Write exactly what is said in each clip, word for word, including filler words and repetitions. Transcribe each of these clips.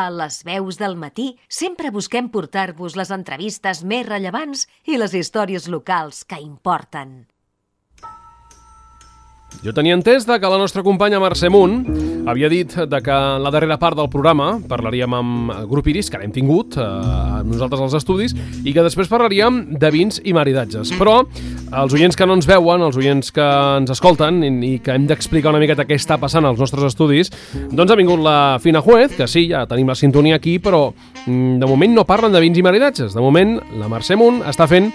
A les veus del matí sempre busquem portar-vos les entrevistes més rellevants i les històries locals que importen. Jo tenia entès de que la nostra companya Mercè Munt havia dit de que en la darrera part del programa parlaríem amb el grup Iris, que l'hem tingut eh, nosaltres als estudis, i que després parlaríem de vins i maridatges. Però els oients que no ens veuen, els oients que ens escolten i, i que hem d'explicar una miqueta què està passant als nostres estudis, doncs ha vingut la Fina Juez, que sí, ja tenim la sintonia aquí, però mm, de moment no parlen de vins i maridatges. De moment la Mercè Munt està fent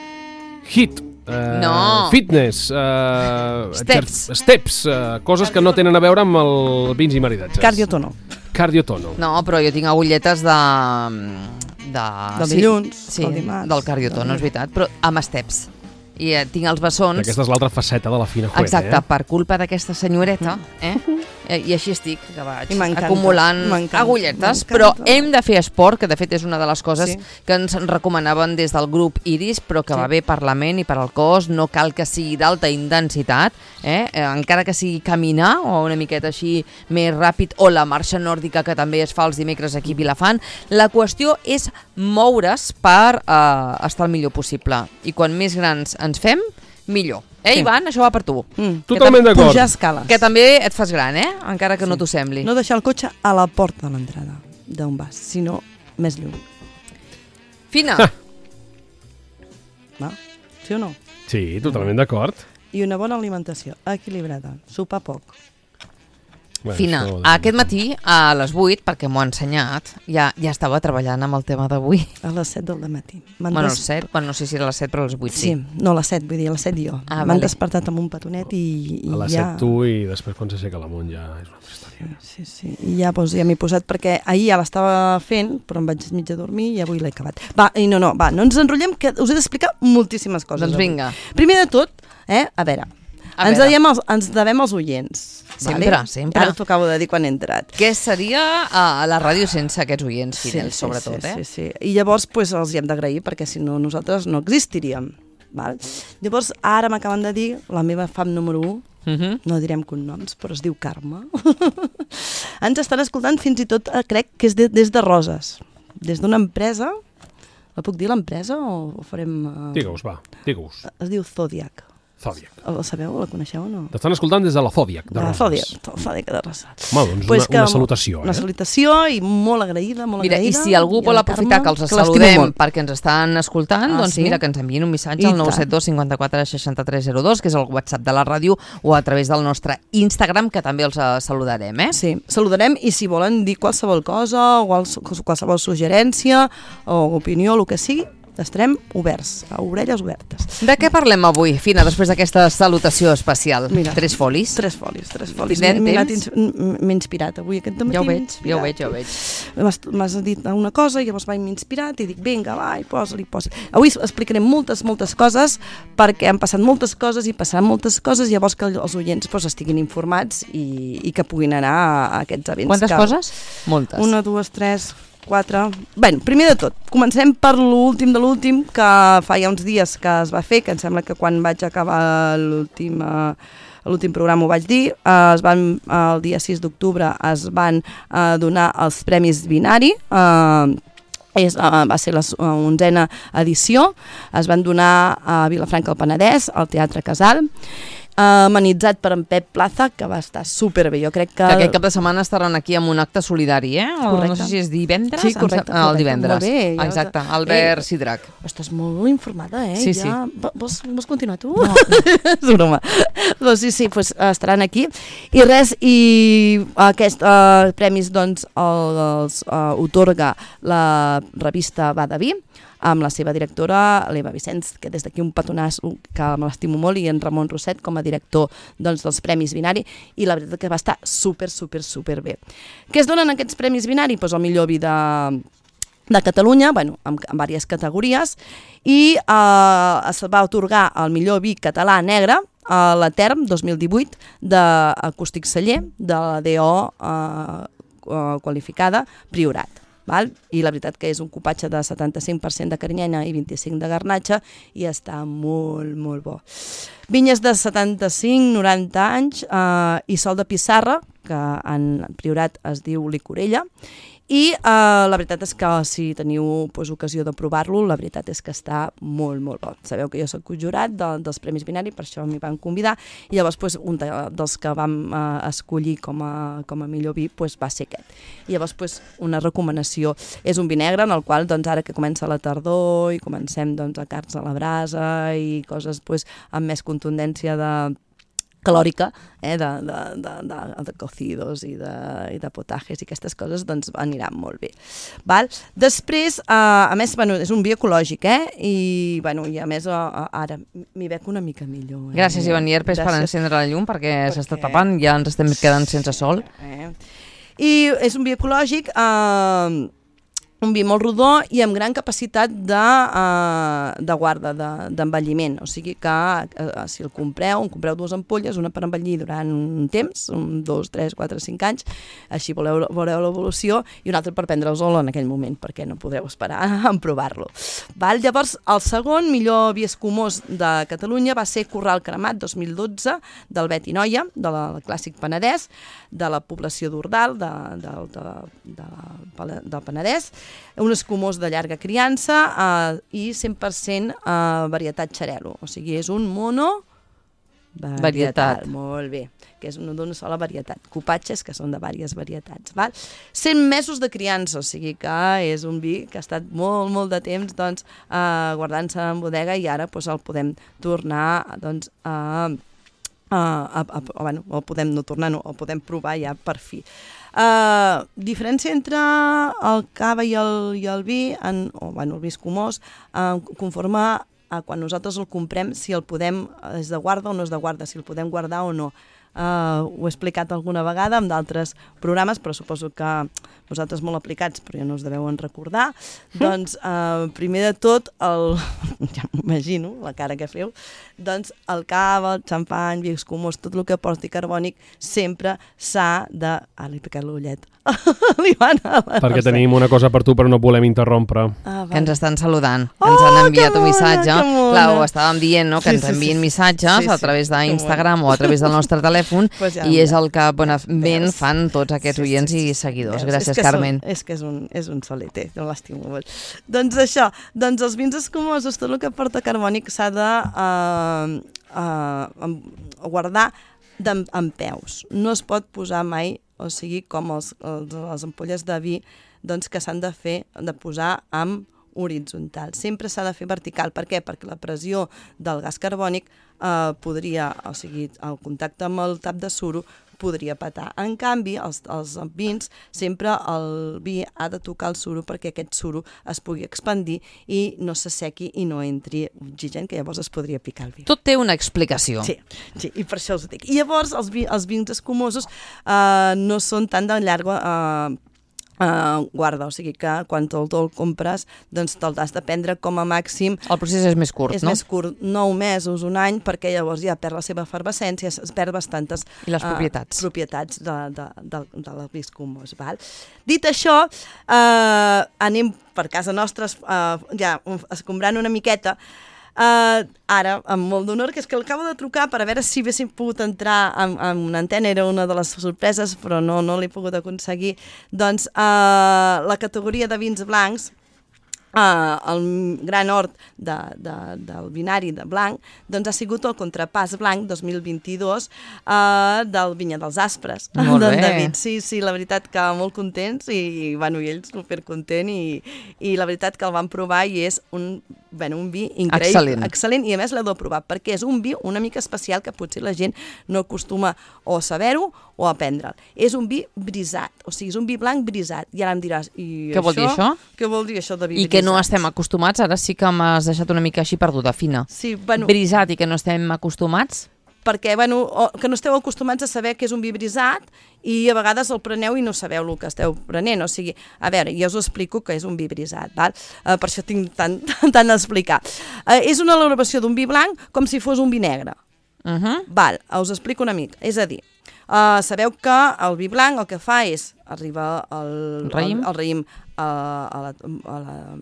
hit. Uh, no. Fitness, uh, steps, steps uh, coses que no tenen a veure amb el vins i maridatges. Cardiotono. Cardiotono. No, però jo tinc agulletes de... de... Del dilluns, sí, del dimarts. Del cardiotono, és veritat, però amb steps. I eh, tinc els bessons... Aquesta és l'altra faceta de la Fina Juez, exacte, eh? per culpa d'aquesta senyoreta, eh? eh? I així estic, que vaig I acumulant agulletes, però hem de fer esport, que de fet és una de les coses sí. que ens recomanaven des del grup Iris, però que sí. va bé per la ment i per al cos, no cal que sigui d'alta intensitat, eh? Eh, encara que sigui caminar o una miqueta així més ràpid, o la marxa nòrdica que també es fa els dimecres aquí a Vilafant. La qüestió és moure's per eh, estar el millor possible, i quan més grans ens fem, millor. Eh, sí. Ivan, això va per tu. Mm. Totalment d'acord. Pujar escales. Que també et fas gran, eh? Encara que sí. no t'ho sembli. No deixar el cotxe a la porta de l'entrada d'on vas, sinó més lluny. Fina. Va? Sí o no? Sí, totalment d'acord. I una bona alimentació, equilibrada, sopar poc. Bueno, Fina, aquest matí a les vuit, perquè m'ho ha ensenyat, ja, ja estava treballant amb el tema d'avui. A les set del matí. Bueno, a les set, bueno, no sé si era a les set, però a les vuit sí. Sí, no a les set, vull dir, a les set jo. Ah, M'han vale. despertat amb un petonet i, i a les ja... set tu i després quan s'aixeca la Munt ja és una altra història. Sí, sí, i ja, doncs, ja m'he posat, perquè ahir ja l'estava fent, però em vaig mig a dormir i avui l'he acabat. Va, i no, no, va, no ens enrotllem, que us he d'explicar moltíssimes coses. Doncs vinga. Avui. Primer de tot, eh, a veure, a ens, veure. devem els, ens devem als oients. Sempre, vale? sempre. Ara t'ho acabo de dir quan he entrat. Què seria a la ràdio sense aquests oients fidels, sí, sí, sobretot, sí, eh? Sí, sí. I llavors pues, els hi hem d'agrair, perquè si no nosaltres no existiríem. Val? Llavors ara m'acaben de dir la meva fam número un, Uh -huh. no direm cognoms, però es diu Carme. Ens estan escoltant fins i tot, eh, crec que és de, des de Roses, des d'una empresa. La puc dir l'empresa o, o farem... Uh... Digue-us, va, digue-us. Es diu Zodiac. Zodiac. La sabeu? La coneixeu o no? T'estan escoltant des de la Zodiac, de De la Roses. Zodiac, Zodiac de Roses. Home, doncs Pues una, una salutació, Una eh? salutació i molt agraïda, molt Mira, agraïda. i si algú vol aprofitar que els saludem perquè ens estan escoltant, Ah, doncs sí? mira, que ens enviïn un missatge I al nou set dos cinquanta-quatre seixanta-tres zero dos, que és el WhatsApp de la ràdio, o a través del nostre Instagram, que també els eh, saludarem, eh? Sí, saludarem, i si volen dir qualsevol cosa, o quals- qualsevol suggerència o opinió, el que sigui, estarem oberts, a orelles obertes. De què parlem avui, Fina, després d'aquesta salutació especial? Mira, Tres folis? Tres folis, tres folis. Tindrem M'he anat temps? ins- M'he inspirat avui aquest dematí. Ja ho veig, m'he ja ho inspirat. veig, ja ho veig. M'has m'has dit una cosa i llavors vaig inspirat i dic, vinga, va, i posa-li, posa Avui explicarem moltes, moltes coses, perquè han passat moltes coses i passaran moltes coses, llavors que els oients pues, estiguin informats i, i que puguin anar a, a aquests events. Quantes que... coses? Moltes. Una, dues, tres, quatre... Bé, primer de tot, comencem per l'últim de l'últim, que fa ja uns dies que es va fer, que em sembla que quan vaig acabar l'últim... Eh, l'últim programa ho vaig dir, eh, es van, eh, el dia sis d'octubre es van eh, donar els Premis Binari, eh, és, uh, va ser la uh, onzena edició, es van donar a Vilafranca del Penedès, al Teatre Casal, Uh, amenitzat per en Pep Plaza, que va estar superbé. Jo crec que... Que aquest cap de setmana estaran aquí amb un acte solidari, eh? O Correcte. no sé si és divendres. Sí, correcte, El correcte. divendres. Molt bé, ja Exacte, us- Albert Eh, Sidrac. Estàs molt informada, eh? Sí, ja... sí. Vols, vols continuar tu? No. És broma. Doncs sí, sí, pues, estaran aquí. I res, i aquests uh, premis doncs el, els uh, otorga la revista Badaví, amb la seva directora, l'Eva Vicenç, que des d'aquí un petonàs que me l'estimo molt, i en Ramon Rosset com a director doncs, dels Premis Binari, i la veritat que va estar super, super, super bé. Què es donen aquests Premis Binari? Pues el millor vi de, de Catalunya, bueno, amb, amb diverses categories, i eh, es va atorgar el millor vi català negre a la Term dos mil divuit d'Acústic Celler, de la D O eh, qualificada Priorat. Val? I la veritat que és un cupatge de setanta-cinc per cent de carinyena i vint-i-cinc de garnatxa i està molt, molt bo. Vinyes de setanta-cinc a noranta anys eh, i sol de pissarra, que en Priorat es diu Licorella, i uh, la veritat és que si teniu pues, ocasió de provar-lo, la veritat és que està molt, molt bo. Sabeu que jo soc jurat de, dels Premis Binari, per això m'hi van convidar, i llavors pues, un de, dels que vam uh, escollir com a, com a millor vi pues, va ser aquest. I llavors pues, una recomanació. És un vi negre en el qual doncs, ara que comença la tardor i comencem doncs, a carns a la brasa i coses pues, amb més contundència de calòrica, eh, de, de, de, de, de cocidos i de, i de potajes i aquestes coses, doncs aniran molt bé. Val? Després, eh, a més, bueno, és un vi ecològic, eh? I, bueno, i a més, eh, ara m'hi veig una mica millor. Eh? Gràcies, Ivan Llerpes, per encendre la llum, perquè, perquè... s'està tapant, ja ens estem quedant sense sol. Eh? I és un vi ecològic, eh, un vi molt rodó i amb gran capacitat de, uh, de guarda, d'envelliment. De, o sigui que uh, si el compreu, en compreu dues ampolles, una per envellir durant un temps, un, dos, tres, quatre, cinc anys, així voleu, veureu l'evolució, i una altra per prendre-us-lo en aquell moment, perquè no podreu esperar a provar-lo. Val? Llavors, el segon millor vi escumós de Catalunya va ser Corral Cremat dos mil dotze, del Bet i Noia, del Clàssic Penedès, de la població d'Ordal, de, de, de, de, del Penedès, un escumós de llarga criança eh, i cent per cent eh, varietat xarel·lo, o sigui, és un mono varietat, varietat. Molt bé, que és d'una sola varietat, cupatges que són de diverses varietats, val? cent mesos de criança, o sigui que és un vi que ha estat molt, molt de temps doncs, eh, guardant-se en bodega i ara doncs, el podem tornar doncs, a... Uh, a, a, a, bueno, el podem no tornar, no, el podem provar ja per fi. Uh, diferència entre el cava i el, i el vi, en, o bueno, el vi escumós, uh, conforme a quan nosaltres el comprem, si el podem, és de guarda o no és de guarda, si el podem guardar o no. Uh, ho he explicat alguna vegada en d'altres programes, però suposo que vosaltres molt aplicats, però ja no us deveuen recordar. Mm. Doncs, uh, primer de tot, el... ja m'imagino la cara que feu, doncs el cava, el xampany, vi escumós, tot el que porti carbònic, sempre s'ha de... Ah, li he picat l'ullet. Perquè tenim una cosa per tu, però no volem interrompre. Ah, que ens estan saludant, que ens han enviat un missatge. Clar, ho estàvem dient, no? Que ens envien missatges a través d'Instagram o a través del nostre telèfon, i és el que bonament fan tots aquests oients i seguidors. Gràcies, Carmen. És que és un, és un soliter, no l'estimo molt. Doncs això, doncs els vins escumosos, tot el que porta carbònic s'ha de uh, uh, guardar en peus. No es pot posar mai, o sigui, com els, els, les ampolles de vi doncs, que s'han de fer, de posar amb horitzontal. Sempre s'ha de fer vertical. Per què? Perquè la pressió del gas carbònic eh, podria, o sigui, el contacte amb el tap de suro podria petar. En canvi, els, els vins, sempre el vi ha de tocar el suro perquè aquest suro es pugui expandir i no s'assequi i no entri oxigen, que llavors es podria picar el vi. Tot té una explicació. Sí, sí, i per això us ho dic. I llavors els, vi, els vins escumosos eh, no són tan de llarga eh, Uh, guarda, o sigui que quan te'l el compres doncs te'l has de prendre com a màxim. El procés és més curt, és no? És més curt, nou mesos, un any, perquè llavors ja perd la seva efervescència, es perd bastantes I les propietats, uh, propietats de, de, de, de la vi escumós. Val? Dit això, uh, anem per casa nostra uh, ja escombrant una miqueta. Uh, ara, amb molt d'honor, que és que l'acabo de trucar per a veure si haguéssim pogut entrar en, en una antena, era una de les sorpreses, però no, no l'he pogut aconseguir. Doncs uh, la categoria de vins blancs, Uh, el gran hort de, de, del binari de blanc, doncs ha sigut el Contrapàs Blanc dos mil vint-i-dos uh, del Vinya dels Aspres. Molt bé. David. Sí, sí, la veritat que molt contents i, i bueno, i ell supercontent i, i la veritat que el van provar i és un, bueno, un vi increïble. Excel·lent. Excel·lent, i a més l'he de provar perquè és un vi una mica especial que potser la gent no acostuma o a saber-ho o a prendre'l. És un vi brisat, o sigui, és un vi blanc brisat. I ara em diràs, i què vol dir això? Què vol dir això de vi I brisat? que no estem acostumats, ara sí que m'has deixat una mica així perduda, fina. Sí, bueno... Brisat i que no estem acostumats? Perquè, bueno, que no esteu acostumats a saber que és un vi brisat i a vegades el preneu i no sabeu el que esteu prenent. O sigui, a veure, jo us ho explico que és un vi brisat, val? Uh, per això tinc tant, tant a explicar. Uh, és una elaboració d'un vi blanc com si fos un vi negre. Uh -huh. Val, us explico una mica. És a dir, uh, sabeu que el vi blanc el que fa és arribar al raïm, al, al raïm a, a la... A la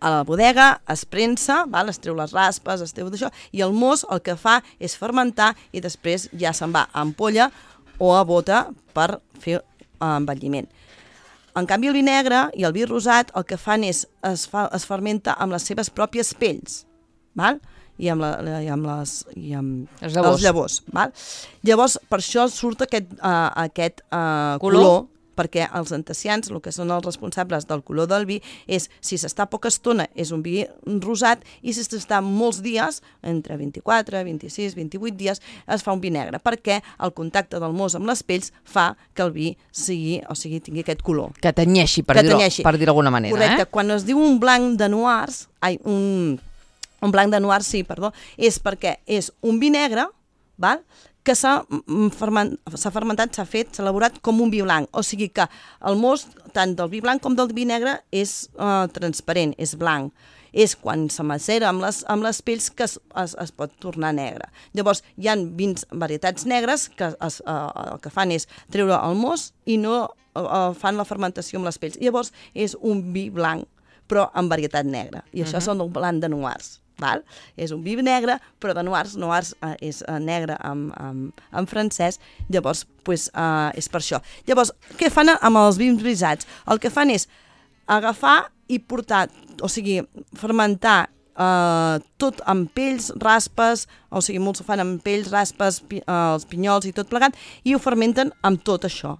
a la bodega, es prensa, val? Es treu les raspes, es treu d'això, i el mos el que fa és fermentar i després ja se'n va a ampolla o a bota per fer envelliment. en canvi el vi negre i el vi rosat el que fan és, es, fa, es fermenta amb les seves pròpies pells, val? i amb, la, i amb, les, i amb les llavors. els llavors. Val? Llavors, per això surt aquest, uh, aquest uh, color, color, perquè els antecians, el que són els responsables del color del vi, és si s'està poca estona és un vi rosat i si s'està molts dies, entre vint-i-quatre, vint-i-sis, vint-i-vuit dies, es fa un vi negre, perquè el contacte del mos amb les pells fa que el vi sigui, o sigui, tingui aquest color. Que tenyeixi, per dir-ho per dir d'alguna manera. Correcte, eh? Quan es diu un blanc de noirs, ai, un... Un blanc de noir, sí, perdó, és perquè és un vi negre, val? Que s'ha ferment, fermentat, s'ha fet, s'ha elaborat com un vi blanc. O sigui que el most, tant del vi blanc com del vi negre, és uh, transparent, és blanc. És quan se macera amb les, amb les pells que es, es, es pot tornar negre. Llavors, hi ha vins, varietats negres que es, uh, el que fan és treure el most i no uh, fan la fermentació amb les pells. Llavors, és un vi blanc, però amb varietat negra. I això uh-huh. són el blanc de noirs. Val? És un vi negre, però de noirs, noirs eh, és eh, negre en, en, en francès, llavors pues, eh, és per això. Llavors, què fan amb els vins brisats? El que fan és agafar i portar, o sigui, fermentar eh, tot amb pells, raspes, o sigui, molts ho fan amb pells, raspes, pi, eh, els pinyols i tot plegat, i ho fermenten amb tot això.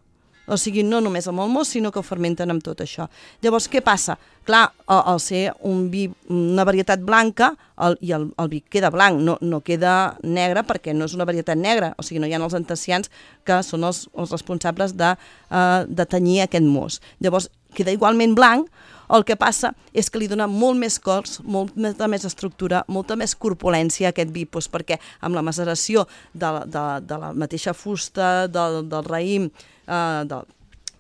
O sigui, no només amb el most, sinó que ho fermenten amb tot això. Llavors, què passa? Clar, al ser un vi, una varietat blanca, el, i el, el vi queda blanc, no, no queda negre perquè no és una varietat negra, o sigui, no hi ha els antecians que són els, els responsables de, uh, de tenyir aquest most. Llavors, queda igualment blanc, el que passa és que li dona molt més cors, molta més estructura, molta més corpulència a aquest vi, doncs perquè amb la maceració de, de, de la mateixa fusta, del, del raïm, Uh, del,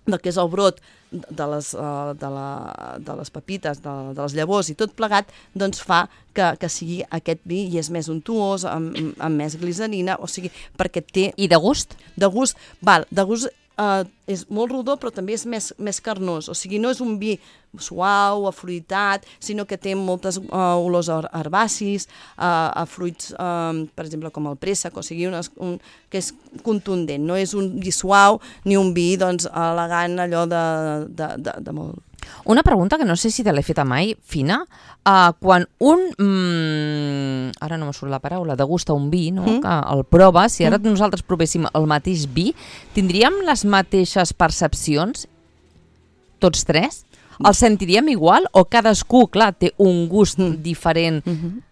del que és el brot, de les, uh, de, la, de les pepites, de, de les llavors i tot plegat, doncs fa que, que sigui aquest vi i és més untuós, amb, amb més glicerina, o sigui, perquè té... I de gust? De gust, val, de gust uh, és molt rodó, però també és més, més carnós, o sigui, no és un vi suau, afruitat, sinó que té moltes uh, olors herbacis, uh, a fruits, uh, per exemple, com el préssec, o sigui, unes, un, que és contundent, no és un vi suau ni un vi, doncs, elegant, allò de, de, de, de molt... Una pregunta que no sé si te l'he feta mai, Fina. Uh, quan un, mm, ara no me surt la paraula, degusta un vi, no? Mm. que el prova, si ara mm. nosaltres provéssim el mateix vi, tindríem les mateixes percepcions, tots tres? El sentiríem igual o cadascú, clar, té un gust mm. diferent? Mm-hmm.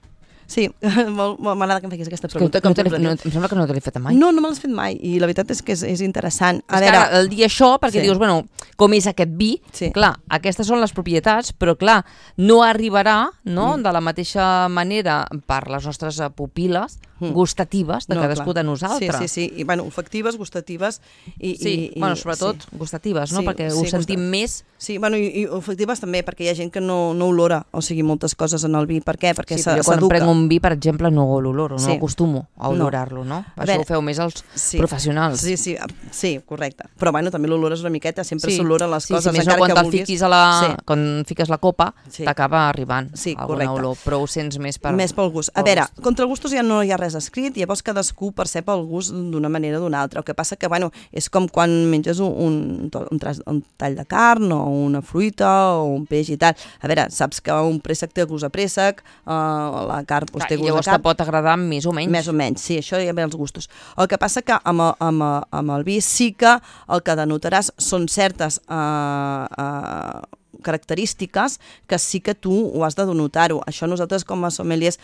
Sí, m'agrada que em facis aquesta pregunta. No no no, em sembla que no te l'he fet mai. No, no me l'has fet mai, i la veritat és que és, és interessant. A és veure, que el dir això, perquè sí. dius, bueno, com és aquest vi, sí. clar, aquestes són les propietats, però clar, no arribarà, no?, mm. de la mateixa manera per les nostres pupil·les mm. gustatives de no, cadascú clar. de nosaltres. Sí, sí, sí, i bueno, olfactives, gustatives i... Sí, i, bueno, sobretot sí. gustatives, no?, sí, perquè ho sí, sentim gustat... més... Sí, bueno, i, i olfactives també, perquè hi ha gent que no, no olora, o sigui, moltes coses en el vi. Per què? Perquè sí, jo quan prenc un vi, per exemple, no l'oloro, no sí. acostumo a olorar-lo, no? no? Això veure, ho feu més els sí. professionals. Sí, sí, sí, correcte. Però bueno, també l'olores una miqueta, sempre s'oloren sí. les sí, coses, sí, més encara no, quan que vulguis. Fiquis a la, sí. Quan fiques la copa, sí. t'acaba arribant sí, alguna correcte. olor, però ho sents més per... Més pel gust. A veure, gust. Contra el gustos ja no hi ha res escrit, llavors cadascú percep el gust d'una manera o d'una altra. El que passa que, bueno, és com quan menges un, un, un, tras, un tall de carn o una fruita o un peix i tal. A veure, saps que un préssec té gust a préssec, uh, la carn pues, té gust a carn. Llavors te pot agradar més o menys. Més o menys, sí, això ja ve els gustos. El que passa que amb el, amb, amb el vi sí que el que denotaràs són certes uh, uh, característiques que sí que tu ho has de denotar-ho. Això nosaltres com a sommeliers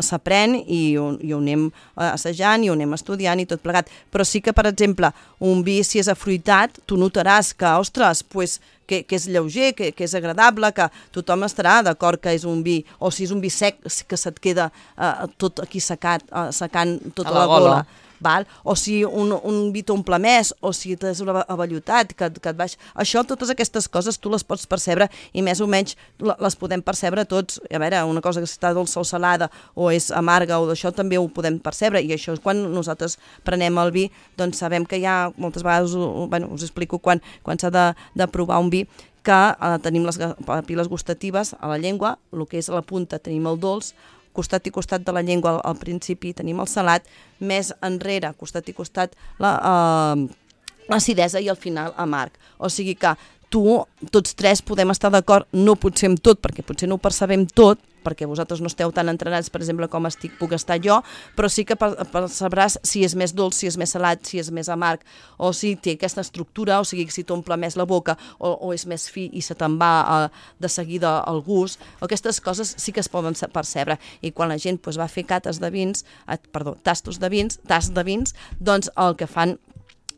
s'aprèn i, i ho anem assajant i ho anem estudiant i tot plegat. Però sí que, per exemple, un vi, si és afruitat, tu notaràs que, ostres, pues, que, que és lleuger, que, que és agradable, que tothom estarà d'acord que és un vi, o si és un vi sec, que se't queda uh, tot aquí secat, uh, secant tota la, la gola. gola. Val? O si un, un vi t'omple més, o si tens una avellotat que, que et baix... Això, totes aquestes coses tu les pots percebre i més o menys les podem percebre tots. A veure, una cosa que està dolça o salada o és amarga o d'això també ho podem percebre i això és quan nosaltres prenem el vi, doncs sabem que hi ha moltes vegades, bueno, us explico quan, quan s'ha de, de provar un vi, que eh, tenim les papil·les gustatives a la llengua, el que és a la punta tenim el dolç, costat i costat de la llengua al, al principi tenim el salat, més enrere, costat i costat, la, eh, l'acidesa i al final amarg. O sigui que tu, tots tres podem estar d'acord, no potser amb tot, perquè potser no ho percebem tot, perquè vosaltres no esteu tan entrenats, per exemple, com estic, puc estar jo, però sí que percebràs si és més dolç, si és més salat, si és més amarg, o si té aquesta estructura, o sigui, si t'omple més la boca, o, o és més fi i se te'n va uh, de seguida el gust. Aquestes coses sí que es poden percebre. I quan la gent pues, va fer cates de vins, eh, perdó, tastos de vins, tasts de vins, doncs el que fan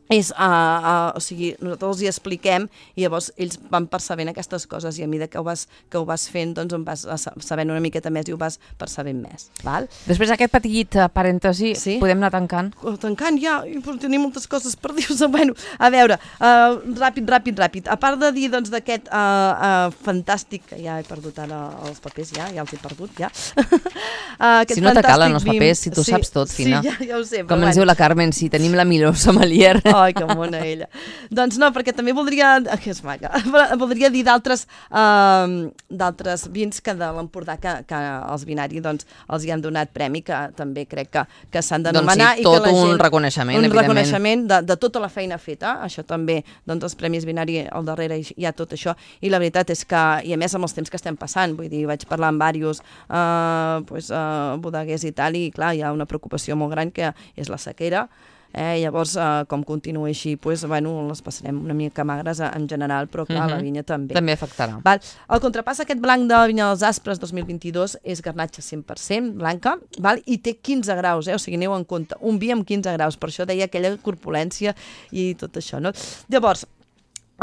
és, uh, uh, o sigui, nosaltres els hi expliquem i llavors ells van percebent aquestes coses i a mesura que ho vas, que ho vas fent doncs en vas sabent una miqueta més i ho vas percebent més. Val? Després d'aquest petit parèntesi, sí? Podem anar tancant? Tancant ja, tenim moltes coses per dir-vos. Bueno, a veure, uh, ràpid, ràpid, ràpid. A part de dir doncs d'aquest uh, uh, fantàstic, que ja he perdut ara els papers, ja, ja els he perdut, ja. uh, si no te calen els papers, si tu sí, saps tot, Fina. Sí, ja, ja ho sé. Com ens bueno. diu la Carmen, si tenim la millor sommelier. Ai, que mona ella. Doncs no, perquè també voldria, que és maca, voldria dir d'altres uh, d'altres vins que de l'Empordà que, que els Vinari doncs, els hi han donat premi, que també crec que, que s'han d'anomenar. Doncs sí, tot i que la gent, un reconeixement, un evidentment. Un reconeixement de, de tota la feina feta, això també, doncs els Premis Vinari al darrere hi ha tot això, i la veritat és que, i a més amb els temps que estem passant, vull dir, vaig parlar amb diversos uh, pues, uh, bodeguers i tal, i clar, hi ha una preocupació molt gran que és la sequera. Eh, llavors, eh, com continua així, pues, bueno, les passarem una mica magres en general, però clar, uh-huh. la vinya també. També afectarà. Val. El contrapàs aquest blanc de Vinya dels Aspres dos mil vint-i-dos és garnatxa cent per cent blanca, val? I té quinze graus, eh? O sigui, aneu en compte, un vi amb quinze graus, per això deia aquella corpulència i tot això, no? Llavors,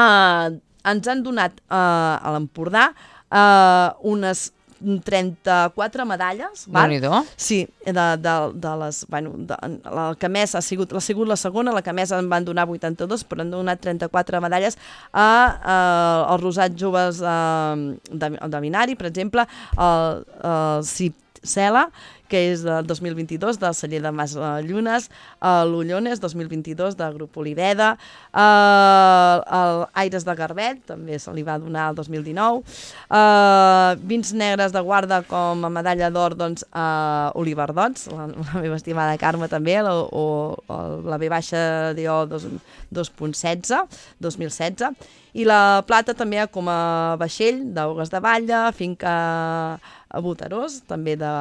eh, ens han donat eh, a l'Empordà eh, unes trenta-quatre medalles, val? Sí, de, de, de les, bueno, de, la que més ha sigut, ha sigut la segona, la que més en van donar vuitanta-dos, però han donat trenta-quatre medalles a, a als rosats joves de, de, de Vinari, per exemple, el, el Cipsela, que és del dos mil vint-i-dos, del celler de Mas Llunes, l'Ullones, dos mil vint-i-dos, del grup Oliveda, el, el Aires de Garbet, també se li va donar el dos mil dinou, uh, vins negres de guarda com a medalla d'or, doncs, uh, Oliverdots, la, la meva estimada Carme també, la, o, o la V baixa D O dos punt setze, dos mil setze, i la plata també com a vaixell d'Augues de Batlle, finca a Botarós, també de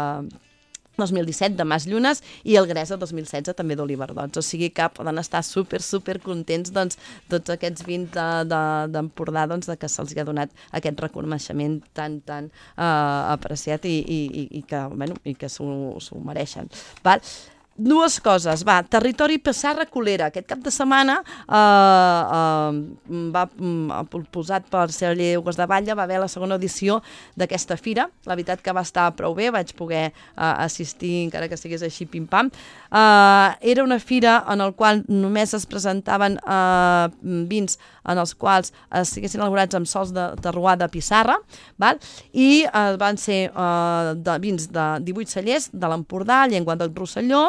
dos mil disset de Mas Llunes, i el Gresa dos mil setze també d'Oliverdots. O sigui que poden estar super, super contents doncs, tots aquests vins d'Empordà de, doncs, de que se'ls ha donat aquest reconeixement tan, tan uh, apreciat i, i, i que, bueno, i que s'ho mereixen. Val? Dues coses, va, Territori Pissarra Colera. Aquest cap de setmana eh, eh, va eh, posat per celler Augues de Batlle, va haver la segona edició d'aquesta fira. La veritat que va estar prou bé, vaig poder eh, assistir, encara que estigués així pim-pam. Eh, era una fira en la qual només es presentaven eh, vins en els quals estiguessin elaborats amb sols de terroir de pissarra, val? I eh, van ser eh, de vins de divuit cellers de l'Empordà, Llengua del Rosselló,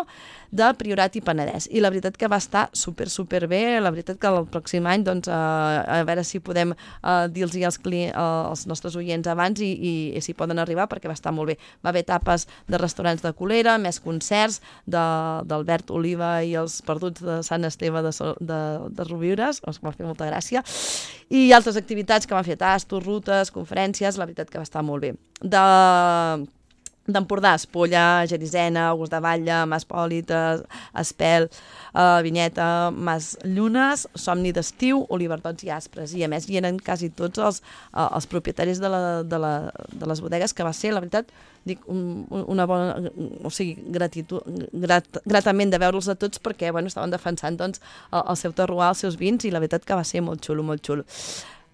de Priorat i Penedès. I la veritat que va estar super, super bé. La veritat que el pròxim any, doncs, eh, a veure si podem eh, dir-los als, eh, als nostres oients abans i, i, i si poden arribar, perquè va estar molt bé. Va haver tapes de restaurants de Colera, més concerts d'Albert Oliva i els Perduts de Sant Esteve de, de, de Rovires, que va fer molta gràcia, i altres activitats que van fer tastos, rutes, conferències, la veritat que va estar molt bé. De... d'Empordà, Espolla, Gerisena, Augues de Batlle, Mas Pòlita, Espel, uh, Vinyeta, Mas Llunes, Somni d'Estiu, Oliverdots i Aspres. I a més hi eren quasi tots els, uh, els propietaris de, la, de, la, de les bodegues, que va ser, la veritat, dic, un, una bona, o sigui, gratitud, grat, gratament de veure'ls a tots perquè, bueno, estaven defensant, doncs, el, el seu terroir, els seus vins, i la veritat que va ser molt xulo, molt xulo.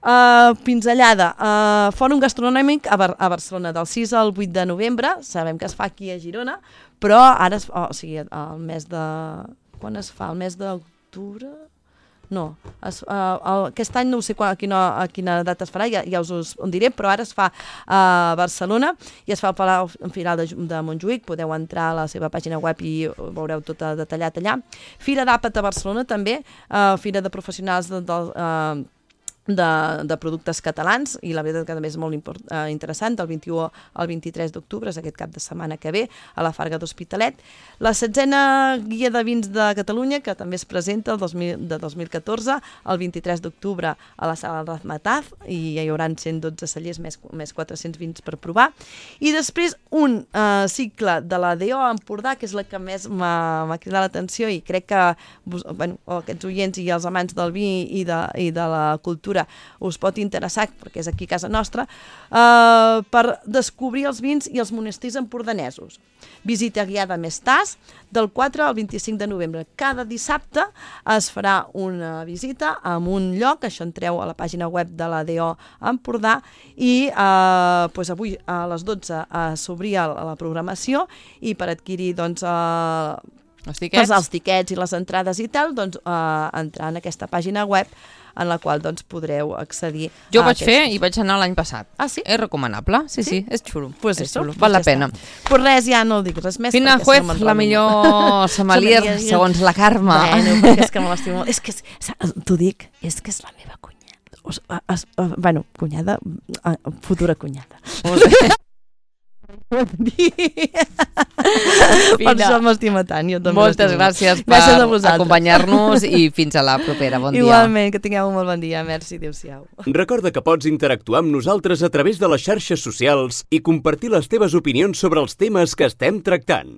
Uh, pinzellada, uh, Fòrum Gastronòmic a, Bar a Barcelona del sis al vuit de novembre, sabem que es fa aquí a Girona, però ara, es, oh, o sigui, el mes de... quan es fa? El mes d'octubre? No, es, uh, el, aquest any no sé quan, a, quina, a quina data es farà, ja, ja us ho diré, però ara es fa a Barcelona i es fa al Palau Firal de, de Montjuïc, podeu entrar a la seva pàgina web i ho veureu tot detallat allà. Fira d'Àpat a Barcelona també, uh, Fira de Professionals de, de, uh, de, de productes catalans, i la veritat que també és molt import, eh, interessant, del vint-i-u al vint-i-tres d'octubre, és aquest cap de setmana que ve, a la Farga d'Hospitalet. La setzena guia de vins de Catalunya, que també es presenta el dos mil, de dos mil catorze, el vint-i-tres d'octubre a la sala Razmataz, i hi haurà cent dotze cellers més, més quatre-cents vins per provar. I després un eh, cicle de la D O Empordà, que és la que més m'ha cridat l'atenció, i crec que bueno, aquests oients i els amants del vi i de, i de la cultura us pot interessar, perquè és aquí a casa nostra, eh, per descobrir els vins i els monestirs empordanesos. Visita guiada més tas, del quatre al vint-i-cinc de novembre. Cada dissabte es farà una visita a un lloc, això entreu a la pàgina web de la D O Empordà, i eh, doncs avui a les dotze eh, s'obria la programació, i per adquirir doncs, eh, els tiquets. els tiquets i les entrades i tal, doncs, eh, entrar en aquesta pàgina web en la qual doncs, podreu accedir. Jo ho vaig aquests... fer i vaig anar l'any passat. Ah, sí? És recomanable? Sí, sí, sí, és xulo. Pues és eso, xulo. pues Val la ja pena. Pues res, ja no dic res més. Fina Juez, si no la millor sommelier, segons la Carme. Bueno, perquè és que me l'estimo molt. És que, t'ho dic, és que és la meva cunyada. O, es, bueno, cunyada, futura cunyada. Molt bé. Per això m'estima tant. Jo també Moltes gràcies per acompanyar-nos i fins a la propera. Bon dia. Igualment, que tingueu un molt bon dia. Merci, adéu-siau. Recorda que pots interactuar amb nosaltres a través de les xarxes socials i compartir les teves opinions sobre els temes que estem tractant.